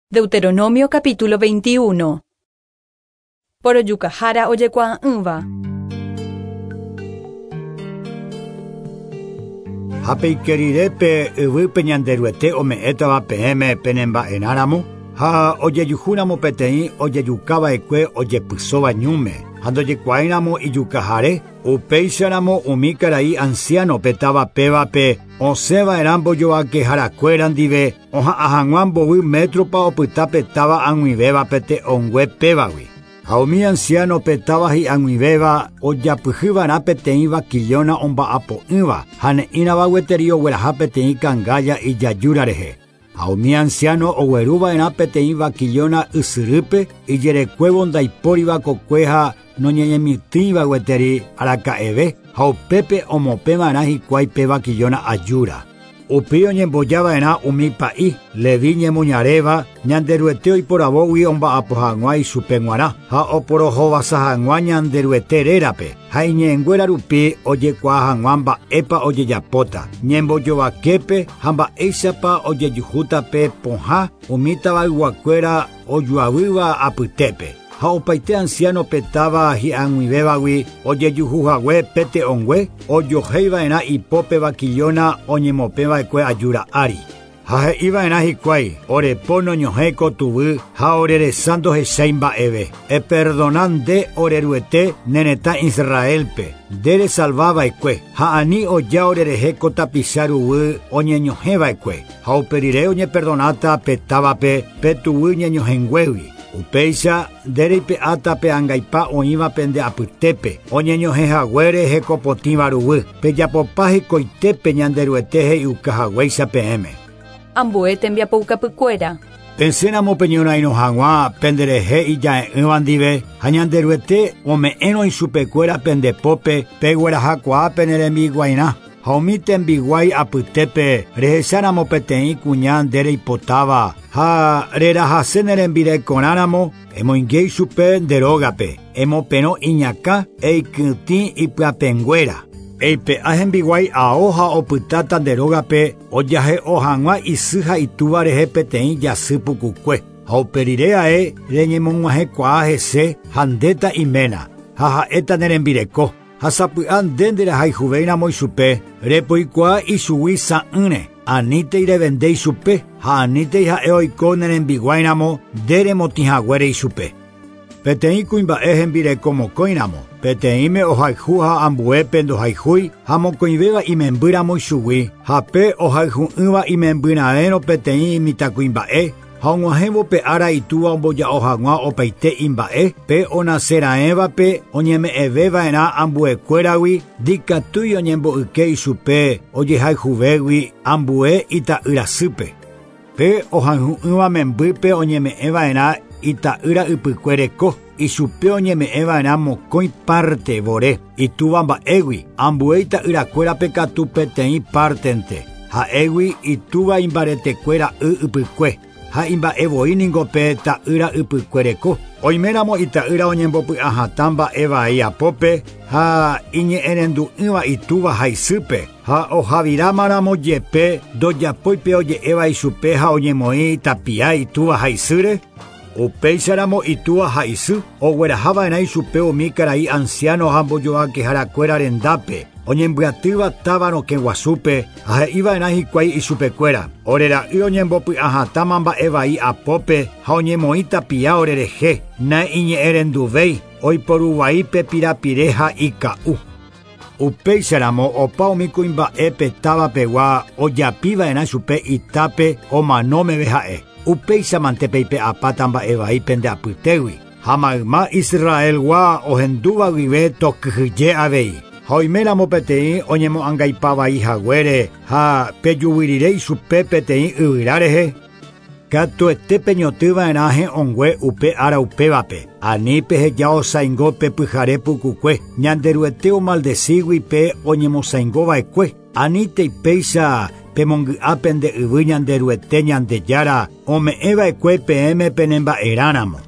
Deuteronomio capítulo 21. Porojukahára ojekuaa'ỹva. Ha peike rire pe yvýpe Ñanderuete ome'ẽtava peẽme penemba'erãramo, ha ojejuhúramo peteĩ ojejukava'ekue ojepysóva ñúme, ha ndojekuaáiramo ijukahare, upéicharamo umi karai anciano pe táva pévape osẽva'erã mbojoakeharakuéra ndive oha'ã hag̃ua mbovy métropa opyta pe táva ag̃uivéva pe te'õngue pévagui. Ha umi anciano pe táva hi'ag̃uivéva ojapyhyva'erã peteĩ vakillóna omba'apo'ỹva ha ne'ĩrava gueteri ogueraha peteĩ kangálla ijajúra rehe. Ha umi anciano ogueruva'erã peteĩ vakillóna ysyrýpe ijerekuévo ndaipóriva kokue ha noñeñemitỹiva gueteri araka'eve ha upépe omopẽva'erã hikuái pe vakillóna ajúra. Upéi oñembojava'erã umi pa'i, Levi ñemoñaréva, Ñanderuete oiporavógui omba'apo hag̃ua ichupe g̃uarã ha oporohovasa hag̃ua Ñanderuete rérape ha iñe'ẽnguéra rupi ojekuaa hag̃ua mba'épa ojejapóta, ñembojovaképe ha mba'éichapa ojejuhúta pe pohã umi tavayguakuéra ojuavýva apytépe. Ha opaite anciano pe táva hi'ag̃uivévagui ojejuhuhague pe te'õngue ojohéiva'erã ipópe vakillóna oñemopẽva'ekue ajúra ári. Ha he'iva'erã hikuái, orepo noñohẽ ko tuvy ha oreresa ndohechái mba'eve. Eperdona nde oreruete ne retã Israelpe, nde resalvava'ekue, ha ani oja orerehe ko tapicha ruguy oñeñohẽva'ekue. Ha upe rire oñeperdonáta pe távape pe tuguy ñeñohẽnguégui. Upéicha nde reipe'áta pe angaipa oĩva pende apytépe, oñeñohẽhaguére hekopotĩva ruguy, pejapopa hekoitépe Ñanderuete he'iukahaguéicha peẽme. Ambue tembiapoukapykuéra. Pesẽramo peñorairõ hag̃ua penderehe ija'e'ỹva ndive ha Ñanderuete ome'ẽrõ ichupekuéra pende pópe peguerahakuaa pene rembiguairã. Ha umi tembiguái apytépe rehecháramo peteĩ kuña nde reipotáva ha rerahase ne rembirekorãramo emoinge ichupe nde rógape, emoperõ iñakã eikytĩ ipyapẽnguéra. Eipe'a hembiguái ao ha opytáta nde rógape ojahe'o hag̃ua isy ha itúva rehe peteĩ jasy pukukue. Ha upe rire ae reñemog̃uahẽkuaa hese ha ndéta iména ha ha'éta ne rembireko. Ha sapy'a nde nderahayhuvéiramo ichupe, repoikuaa ichugui sa'ỹre, anítei revende ichupe ha anítei ha'e oiko ne rembiguáiramo nde remotĩhaguére ichupe. Peteĩ kuimba'e hembireko mokõiramo, peteĩme ohayhu ha ambuépe ndohayhúi ha mokõivéva imembýramo ichugui, ha pe ohayhu'ỹva imembyrãérõ peteĩ mitãkuimba'e ha og̃uahẽvo pe ára itúva omboja'o hag̃ua opaite imba'e, pe onaseraẽvape oñeme'ẽveva'erã ambuekuéragui ndikatúi oñembo'yke ichupe ojehayhuvégui ambue ita'yrasýpe. Pe ohayhu'ỹva membýpe oñeme'ẽva'erã ita'ýra ypykue reko, ichupe oñeme'ẽva'erã mokõi parte vore itúva mba'égui, ambue ita'yrakuérape katu peteĩ partente, ha'égui itúva imbaretekuéra y ypykue. Ha imba'evoi ningo pe ta'ýra ypykue reko. Oiméramo ita'ýra oñembopy'ahatã mba'evai apópe ha iñe'ẽrendu'ỹva itúva ha isýpe, ha ohavirámaramo jepe ndojapói pe oje'éva ichupe ha oñemoĩ tapia itúva ha isýre, upéicharamo itúva ha isy oguerahava'erã ichupe umi karai anciano ha mbojoakeharakuéra rendápe, oñembyatýva táva rokẽ guasúpe ha he'iva'erã hikuái ichupekuéra. Orera'y oñembopy'ahatãma mba'evai apópe ha oñemoĩ tapia orerehe, naiñe'ẽrenduvéi, oiporuvai pe pirapire ha ika'u. Upéicharamo opa umi kuimba'e pe távapegua ojapiva'erã chupe itápe omano meve ha'e. Upéichamante peipe'apáta mba'evai pende apytégui. Ha mayma Israelgua ohendúva guive tokyhyje avei. Ha oiméramo peteĩ oñemo'angaipavaihaguére ha pejuvyrire ichupe peteĩ yvyra rehe, katuete peñotỹva'erã he'õngue upe ára upévape. Ani peheja osãingo pe pyhare pukukue, Ñanderuete omaldecígui pe oñemosãingova'ekue. Anítei péicha pemongy'a pende yvy Ñanderuete Ñandejára ome'ẽva'ekue peẽme penemba'erãramo.